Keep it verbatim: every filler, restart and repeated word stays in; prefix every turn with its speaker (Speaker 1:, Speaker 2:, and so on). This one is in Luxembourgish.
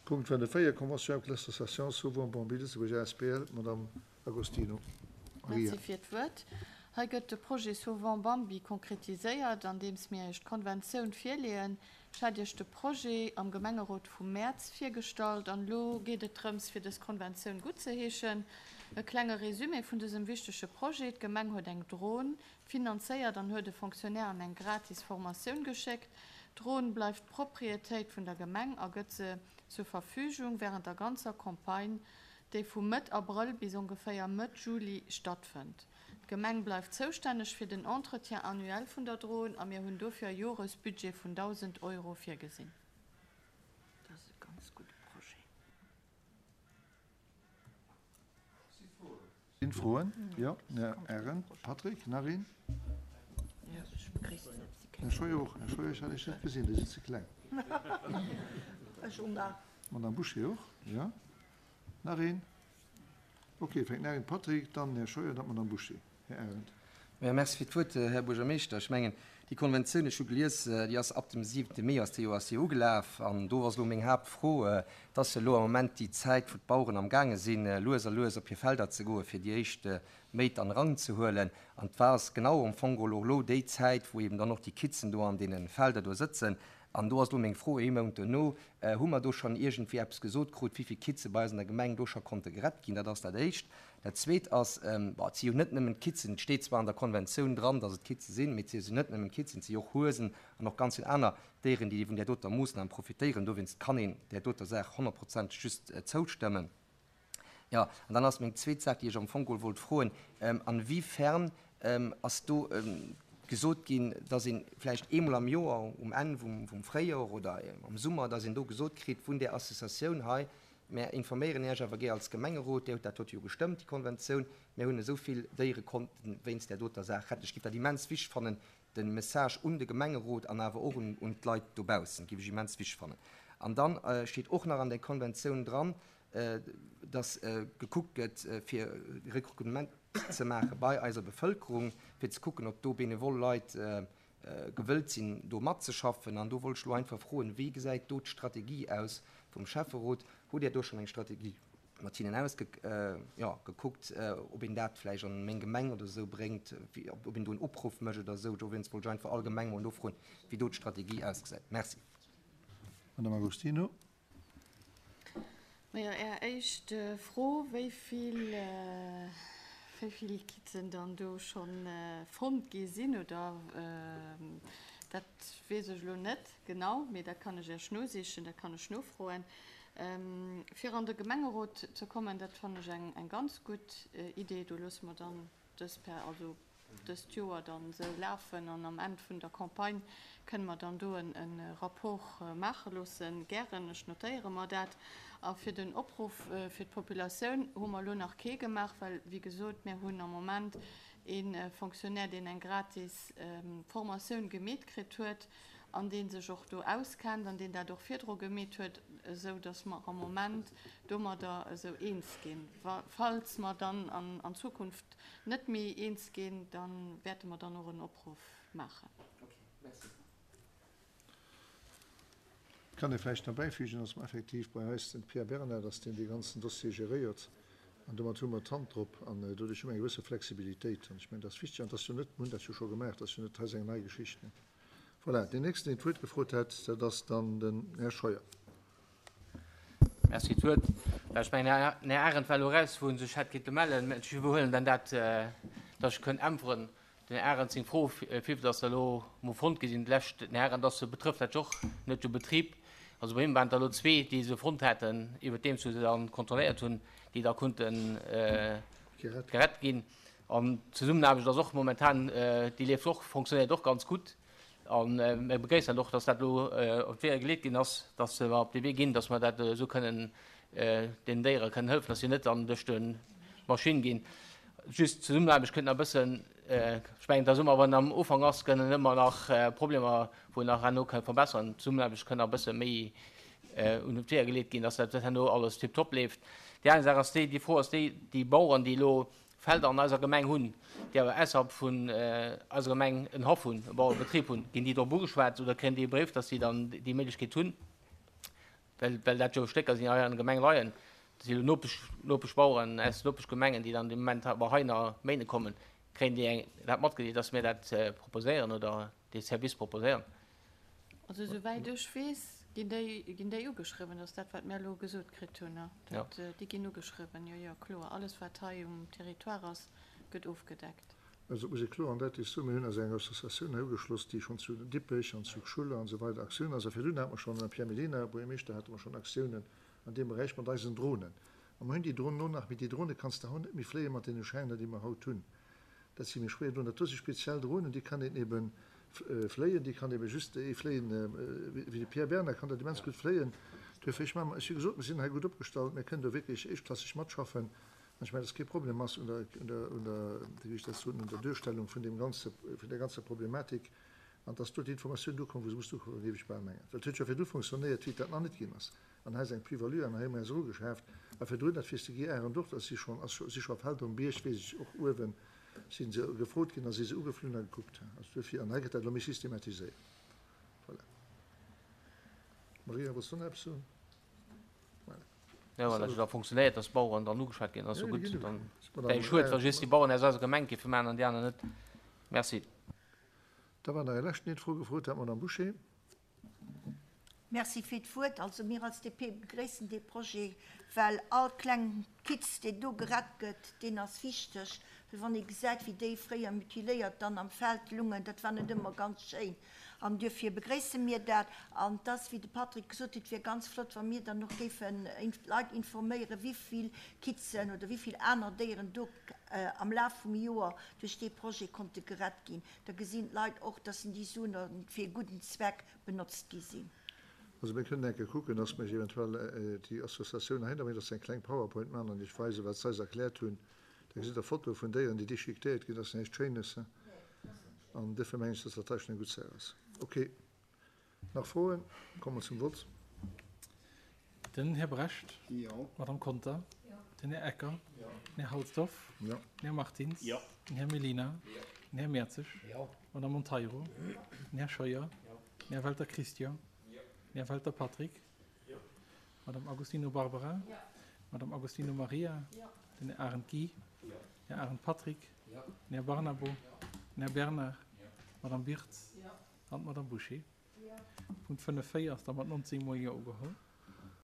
Speaker 1: Punkt vun der véier Convention avec l'association Sauvons Bambi Lëtzebuerg asbl, Madame Agostino. Maria.
Speaker 2: Merci fir d'Wuert. Hei gëtt de Projet Sauvons Bambi konkretiséiert, andeems mir Iech d'Konventioun virleeën. Ech hat Iech de Projet am Gemengerot vum Mäerz virgestallt an elo geet et drëms, fir dës Konventioun guttzeheeschen. E klenge Résumé vun dësem wichtege Projet, D'Gemeng huet eng Dron finanzéiert an huet e Fonctionnaire an eng gratis Formatioun geschéckt. D'Dron bleift Proprietéit vun der Gemeng a gëtt se zur Verfügung während der ganzer Campagne, déi vu Mëtt Abrëll bis ongeféier Mëtt Juli stattfënnt. D'Gemeng bleift zoustänneg fir den Entretien annuel vun der Dron a mir hunn dofir e Joresbudget vun dausend Euro virgesinn.
Speaker 3: Dat ass e ganz gudde Projet.
Speaker 1: Sinn Froen? Jo, Här Arendt. Patrick, nach een?
Speaker 3: Jo, ech begréissen et. Si
Speaker 1: Här Scheuer och. Här Scheuer, ech hat Iech net gesinn, Dir sidd ze kleng.
Speaker 3: Ech och nach.
Speaker 1: Madame Bouché och, jo. Nach een? Ok, fänkt nach een, Patrick, dann Här Scheuer, dann d'Madame Bouché. Här Arendt.
Speaker 4: Jo, merci fir d'Wuert, Här Buergermeeschter. Ech mengen, déi Konventioun, ech hu gelies, déi ass ab dem siwente Mee ass déi jo ass déi ugelaf. An do ass elo meng Haaptfro, et ass jo elo am Moment déi Zäit, wou d'Baueren amgaange sinn, lues a lues op hir Felder ze goen, fir déi éischt Méit an Rang ze huelen. An et war ass genau am Fong geholl och elo déi Zäit, wou eben dann och déi Kitzen do an deene Felder do sëtzen. An do ass elo meng Fro, ee Mount duerno, hu mer do schonn iergendwéi eppes gesot krut, wéi vill Kitze bei eis an der Gemeng do scho konnte gerett ginn? Dat ass dat Éischt. Dat Zweet ass, bon, et si jo net nëmmen d'Kitzen, et steet zwar an der Konventioun dran, datt et Kitze sinn, mee et si jo net nëmmen d'Kitzen, et si jo och Huesen an och ganz vill aner Déieren, déi vun där doter Moossnam profitéieren. Dowéinst kann een där doter Saach honnertprozenteg just zoustëmmen. Jo, an dann ass meng zweet Saach, déi ech am Fong geholl wollt froen, Inwiefern ass do gesot ginn, dass ee vläicht eemol am Joer, um Enn vum Fréijor oder am Summer, dass een do gesot kritt vun där Associatioun hei, Mär informéieren Iech awer gär als Gemengerot, Dir hutt dat dote jo gestëmmt, déi Konventioun, mär hunn esou vill Déiere konnten wéinst där doter Saach retten. Ech géif dat immens wichteg fannen, de Message un de Gemengerot an awer och un d'Leit dobaussen, géif ech immens wichteg fannen. An da steet och nach an där Konventioun dran, dass gekuckt gëtt, fir Rekrutement ze maache bei eiser Bevëlkerung, fir ze kucken, ob do benevol Leit gewëllt sinn, do matzeschaffen. An do wollt ech elo einfach froen, Wéi gesäit do d'Strategie aus vum Schäfferot? Hutt Dir do schonn eng Strategie mat hinnen ausgekuckt, ob een dat vläicht an meng Gemeng oder esou bréngt, ob een do en Opruff mécht oder esou? Dowéinst wollt ech einfach allgemeng mol nofroen, wéi do d'Strategie ausgesäit. Merci.
Speaker 1: Madame Agostino.
Speaker 2: Majo, Är éischt Fro, wéi vill, wéi vill Kitzen dann do scho fonnt gi sinn oder, dat weess ech elo net genau, mee dat kann ech Iech nosichen, dat kann ech nofroen. Fir an de Gemengerot ze kommen, dat fannen ech eng ganz gutt Idee. Do loosse mer dann dës per, also dëst Joer dann esou lafen an am Enn vun der Campagne kënne mer dann do e Rapport maache loossen. Gären, ech notéiere mer dat. A fir den Opruff fir d'Populatioun hu mer elo nach kee gemaach, well, wéi gesot, mir hunn am Moment ee Fonctionnaire, deen eng gratis Formatioun gemeet kritt huet an dee sech och do auskennt an deen dat och virdru gemeet huet, esou datt mer am Moment domadder esou eens ginn. Falls mer dann an Zukunft net méi eens ginn, da wäerte mer dann och en Opruff maachen.
Speaker 1: Et kann ee vläicht nach bäifügen, dass mer effektiv bei eis den Pierre Bernard ass, deen dee ganzen Dossier geréiert, an domat hu mer d'Hand drop an doduerch hu mer eng gewësse Flexibilitéit. An ech mengen, dat ass wichteg an dat ass jo net, mir hunn dat jo scho gemaach, dat ass jo net hei eng nei Geschicht. Voilà, deen nächsten, deen d'Wuert gefrot hat, dat ass dann den Här Scheuer.
Speaker 5: Merci fir d'Wuert. Ech mengen, den Här Arendt war elo eraus, wou en sech hätt kinnte mellen. Mä ech iwwerhuelen dann dat, datt ech kënnt äntweren. Den Här Arendt seng Fro, wéivill datt der elo mol fonnt gi sinn d'lescht, den Här Arendt ass, betrëfft dat jo och net de Betrib. Also bei him waren et der elo zwee, déi se fonnt haten, iwwerdeems wou se dann kontrolléiert hunn, déi da konnten gerett ginn. An d'Zesummenaarbecht ass och momentan, déi leeft och, fonctionnéiert och ganz gutt. A mir begréissen dat och, dass dat elo op d'Weeër geleet ginn ass, dass mer op dee Wee ginn, dass mer dat esou kënnen den Déiere kënnen hëllefen, dass si net dann duerch d'Maschinn ginn. Just d'Zesummenaarbecht kënnt nach e bëssen, ech mengen, et ass ëmmer, wann am Ufank ass, kënnen ëmmer nach Problemer, wou een nach herno ka verbessern. D'Zesummenaarbecht kënnt nach e bësse méi un d'Weeër geleet ginn, dass dat herno alles tiptop leeft. Déi aner Saach ass déi, déi Fro ass déi, déi Baueren, déi elo Felder an eiser Gemeng hunn, déi awer ausserhalb vun eiser Gemeng en Haff hunn, e Bauerebetrib hunn, ginn déi drop ugeschwat oder kréien déi e Bréif, dass si dann déi Méiglechkeet hunn? well, well dat jo Stécker sinn, déi hei an der Gemeng leien, dat si jo Nopesch, Nopeschbaueren aus Nopeschgemengen, déi dann de Moment awer hei nach méine kommen, kréien déi eng, dat matgedeelt, dass mir dat proposéieren oder dee Service proposéieren?
Speaker 2: Also esouwäit ech weess, ginn déi, ginn déi ugeschriwwen. Dat ass dat, wat mir elo gesot kritt hunn. Dat, déi ginn ugeschriwwen, jo, jo, kloer. Alles, wat hei um Territoire ass, gëtt ofgedeckt.
Speaker 1: Also et muss ee kloer an däitlech soen, mir hunn eis enger Associatioun hei ugeschloss, déi schonn zu Dippech an zu Schuller an esou weider Aktiounen ass. A virdrun hate mer schonn, ënner Pierre Mellina, Buergermeeschter, hate mer schonn Aktiounen an deem Beräich mat eisen Dronen. A mer hunn déi Dronen och nach, mee déi Drone kanns de haut net méi fléie mat deene Schäiner, déi mer haut hunn. Dat si méi schwéier Dronen. Dat do si speziell Dronen, déi kann een ebe fléien, déi kann ebe just ee fléien, wéi de Pierre Bernard kann dat immens gutt fléien. Duerfir, ech maachen, ech hu gesot, mir sinn hei gutt opgestallt, mir kënnen do wierklech éischtklasseg matschaffen. An ech mengen, dass kee Problem ass un der, un der, un der, wéi ech dat soen, un der Duerstellung vun deem ganze, vun där ganzer Problematik an dass do d'Informatioun ukomm, wou se muss ukommen, géif ech bal mengen. Well et huet jo virdu fonctionnéiert, wéi et dat nach net ginn ass. An hei ass eng Plus-value an hei hu mir eis erugeschaaft. A virdrun, dat weess de Guy Arendt och, dass si schonn, ass scho, si scho Felder um Bierg, weess ech, och uewen si se gefrot ginn a si se ugeflunn a gekuckt. Also duerfir, an hei gëtt dat elo méi systematiséiert. Voilà. Maria, wollts du nach eppes soen? Voilà.
Speaker 5: Jo, wann dat jo da funktionéiert, dass d'Baueren dann ugeschwat ginn, ass jo gutt. Dann wär jo schued, wa just déi Baueren aus eiser Gemeng géife maachen an déi aner net. Merci.
Speaker 1: Da war nach e leschten, deen d'Fro gefrot hat, d'Madame Bouché.
Speaker 3: Merci fir d'Wuert. Also mir als D P begréissen dee Projet, well all kleng Kitz, deen do gerett gëtt, deen ass wichteg. Well wann ee gesäit, wéi déi fréier mutiléiert dann am Feld lungen, dat war net ëmmer ganz schéin. An duerfir begréisse mir dat. An et ass, wéi de Patrick gesot huet, et wier ganz flott, wa mir dann och géifen d'Leit informéieren, wéi vill Kitzen oder wéi vill aner Déieren do am Laf vum Joer duerch dee Projet konnte gerett ginn. Da gesinn d'Leit och, dass déi Suen fir e gudden Zweck benotzt gi sinn.
Speaker 1: Also mir kënnen eng Kéier kucken, dass mir eventuell déi Associatioun heihinner bréngen, dass se eng kleng PowerPoint maachen an Iech weisen, wat se eis erkläert hunn. Da gesitt Der Fotoe vun Déieren, déi déchiquetéiert ginn. Dat ass näischt Schéines. An duerfir mengen ech, dass dat hei schonn eng gutt Saach ass. Okay. Nach Froen? Komme mer zum Vott.
Speaker 6: Den Här Brecht.
Speaker 1: Jo.
Speaker 6: D'Madame Conter.
Speaker 2: Jo.
Speaker 6: Den Här Ecker.
Speaker 1: Jo.
Speaker 6: Den Här Halsdorf.
Speaker 1: Jo.
Speaker 6: Den Här Martins.
Speaker 7: Jo.
Speaker 6: Den Här Mellina.
Speaker 7: Jo.
Speaker 6: Den Här Mertzig.
Speaker 7: Jo.
Speaker 6: D'Madame Monteiro.
Speaker 7: Jo.
Speaker 6: Den Här Scheuer.
Speaker 7: Jo.
Speaker 6: Den Här Welter Christian.
Speaker 7: Jo.
Speaker 6: Den Här Welter Patrick.
Speaker 7: Jo.
Speaker 6: D'Madame Agostino Barbara.
Speaker 2: Jo.
Speaker 6: D'Madame Agostino Maria.
Speaker 2: Jo.
Speaker 6: Den Här Arendt Guy.
Speaker 7: Jo.
Speaker 6: Den Här Arendt Patrick.
Speaker 7: Jo.
Speaker 6: Den Här Barnabo.
Speaker 7: Jo.
Speaker 6: Den Här Bernard.
Speaker 7: Jo.
Speaker 6: D'Madame Birtz.
Speaker 2: Jo.
Speaker 6: An d'Madame Bouché.
Speaker 2: Jo.
Speaker 6: Punkt fënnef véier ass da mat nonzéng mol Jo ugeholl.